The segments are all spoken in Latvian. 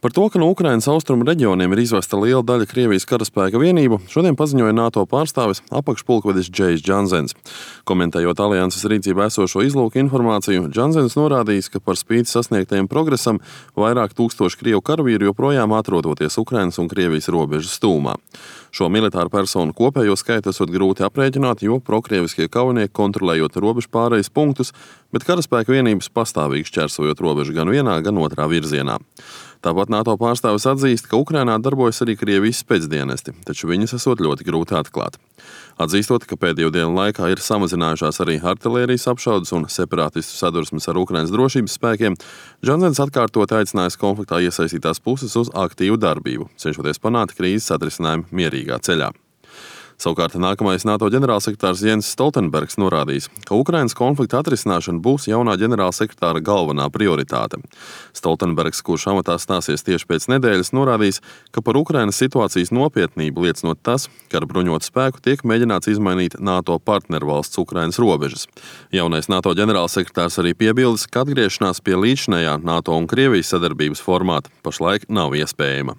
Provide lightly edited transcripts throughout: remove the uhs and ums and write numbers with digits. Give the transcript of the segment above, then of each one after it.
Par to, ka no Ukrainas austrumu reģioniem ir izvesta liela daļa Krievijas karaspēka vienību, šodien paziņoja NATO pārstāvis apakšpulkvedis Džejs Džansens. Komentējot alianses rīcībā esošo izlūku informāciju, Džansens norādījis, ka par spīti sasniegtajam progresam vairāk tūkstoši Krievu karavīru joprojām atrodoties Ukrainas un Krievijas robežas stūmā. Šo militāru personu kopējo skaitu esot grūti aprēķināt, jo prokrieviskie kaujinieki kontrolējot robežu pārejas punktus, bet karaspēka vienības pastāvīgi šķērsojot robežu gan vienā, gan otrā virzienā. Tāpat NATO pārstāvis atzīst, ka Ukrainā darbojas arī Krievijas spēcdienesti, taču viņus esot ļoti grūti atklāt. Atzīstot, ka pēdējo dienu laikā ir samazinājušās arī artilērijas apšaudes un separātistu sadursmes ar Ukrainas drošības spēkiem, Džansens atkārtot aicinājis konfliktā iesaistītās puses uz aktīvu darbību, cenšoties panākt krīzes atrisinājumu mierīgā ceļā. Savukārt nākamais NATO ģenerālsekretārs Jens Stoltenbergs norādījis, ka Ukrainas konflikta atrisināšana būs jaunā ģenerālsekretāra galvenā prioritāte. Stoltenbergs, kurš amatā stāsies tieši pēc nedēļas, norādījis, ka par Ukrainas situācijas nopietnību liecinot tas, ka ar bruņotu spēku tiek mēģināts izmainīt NATO partnervalsts Ukrainas robežas. Jaunais NATO ģenerālsekretārs arī piebildes, ka atgriešanās pie līdzinējā NATO un Krievijas sadarbības formāta pašlaik nav iespējama.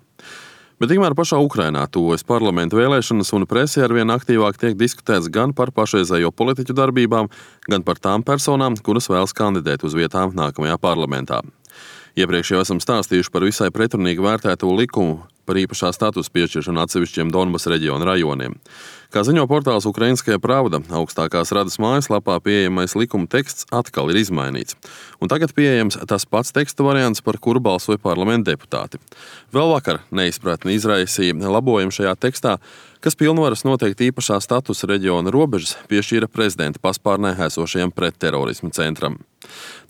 Bet tikmēr pašā Ukrainā tuvojas parlamenta vēlēšanas un presē arvien aktīvāk tiek diskutēts gan par pašreizējo politiķu darbībām, gan par tām personām, kuras vēlas kandidēt uz vietām nākamajā parlamentā. Iepriekš jau esam stāstījuši par visai pretrunīgi vērtēto likumu par īpašā statusa piešķiršanu atsevišķiem Donbasa reģiona rajoniem. Kā ziņo portāls Ukrainskaja Pravda, augstākās radas mājaslapā pieejamais likuma teksts atkal ir izmainīts. Un tagad pieejams tas pats teksta variants, par kuru balsoja parlamenta deputāti. Vēl vakar neizpratni izraisīja labojumi šajā tekstā, kas pilnvaras noteikt īpašā statusa reģiona robežas piešķīra prezidenta paspārnē esošajam pretterorisma centram.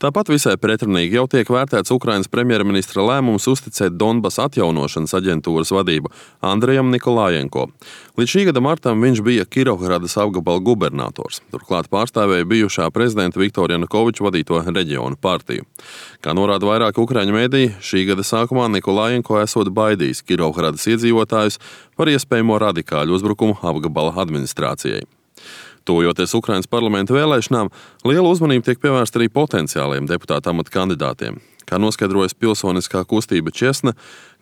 Tāpat visai pretrunīgi jau tiek vērtēts Ukrainas premjerministra lēmums uzticēt Donbasa atjaunošanas aģentūras vadību Andrejam Nikolājenko. Līdz šī gada martam viņš bija Kirovgradas apgabala gubernators. Turklāt pārstāvēja bijušā prezidenta Viktora Janukoviča vadīto reģionu partiju. Kā norāda vairāki ukraiņu mediji, šī gada sākumā Nikolājenko esot baidījis Kirovgradas iedzīvotājus par iespējamo radikāļu uzbrukumu apgabala administrācijai. Tuvojoties Ukrainas parlamenta vēlēšanām, liela uzmanība tiek pievērsta arī potenciāliem deputāta amata kandidātiem. Kā noskaidrojas pilsoniskā kustība Česna,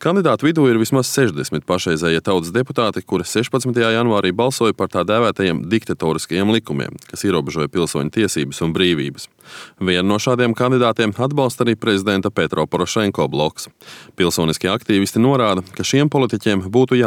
kandidātu vidū ir vismaz 60 pašreizējie tautas deputāti, kuri 16. janvārī balsoja par tā dēvētajiem diktatoriskajiem likumiem, kas ierobežoja pilsoņu tiesības un brīvības. Vienu no šādiem kandidātiem atbalsta arī prezidenta Petro Porošenko bloks. Pilsoniskie aktīvisti norāda, ka šiem politiķiem būtu